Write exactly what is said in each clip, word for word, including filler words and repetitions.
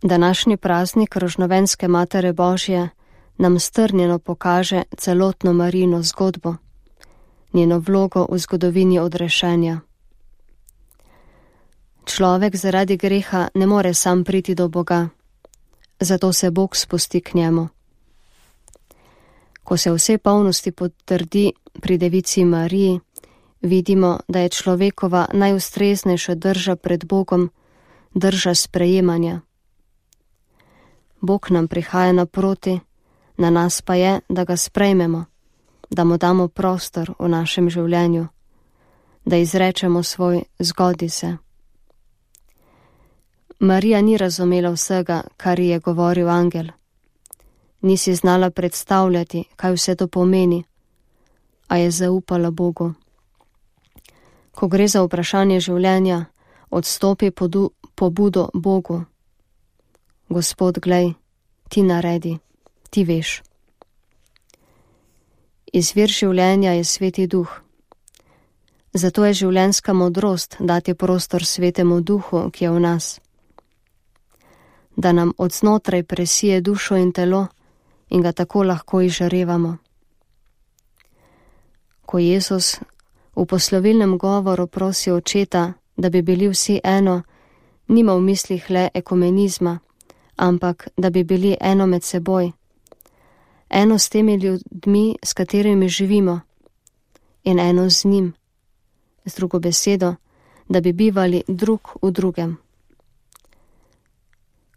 Današnji praznik Rožnovenske Matere Božje nam strnjeno pokaže celotno Marijino zgodbo, njeno vlogo v zgodovini odrešenja. Človek zaradi greha ne more sam priti do Boga, zato se Bog spusti k njemu. Ko se vse polnosti potrdi pri Devici Mariji, vidimo, da je človekova najustreznejša drža pred Bogom drža sprejemanja. Bog nam prihaja naproti, na nas pa je, da ga sprejmemo, da mu damo prostor v našem življenju, da izrečemo svoj zgodi se. Marija ni razumela vsega, kar ji je govoril angel. Ni si znala predstavljati, kaj vse to pomeni, a je zaupala Bogu. Ko gre za vprašanje življenja, odstopi podu, pobudo Bogu. Gospod, glej, ti naredi, ti veš. Izvir življenja je Sveti Duh. Zato je življenjska modrost dati prostor Svetemu Duhu, ki je v nas. Da nam od znotraj presije dušo in telo in ga tako lahko izžarevamo. Ko Jezus v poslovilnem govoru prosi Očeta, da bi bili vsi eno, nima v mislih le ekumenizma, ampak da bi bili eno med seboj, eno s temi ljudmi, s katerimi živimo, in eno z njim, z drugo besedo, da bi bivali drug v drugem.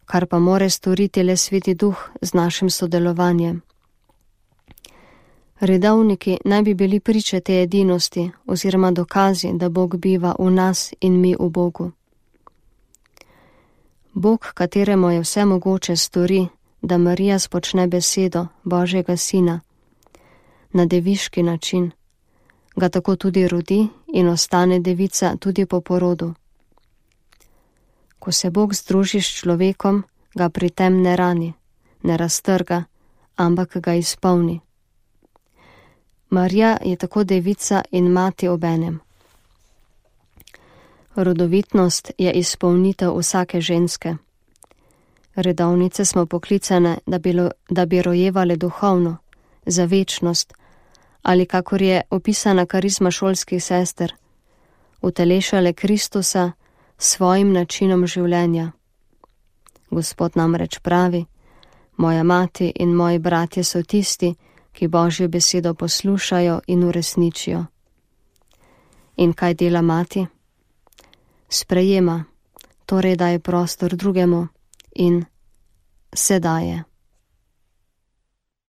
Kar pa more storiti le Sveti Duh z našim sodelovanjem. Redovniki naj bi bili priče te edinosti oziroma dokazi, da Bog biva v nas in mi v Bogu. Bog, kateremu je vse mogoče, stori, da Marija spočne besedo Božjega Sina na deviški način, ga tako tudi rodi in ostane devica tudi po porodu. Ko se Bog združi s človekom, ga pri tem ne rani, ne raztrga, ampak ga izpolni. Marija je tako devica in mati obenem. Rodovitnost je izpolnitev vsake ženske. Redovnice smo poklicane, da bi, lo, da bi rojevale duhovno, za večnost, ali kakor je opisana karizma šolskih sester, utelešale Kristusa s svojim načinom življenja. Gospod namreč pravi, moja mati in moji bratje so tisti, ki Božjo besedo poslušajo in uresničijo. In kaj dela mati? Sprejema, torej daje prostor drugemu in se daje.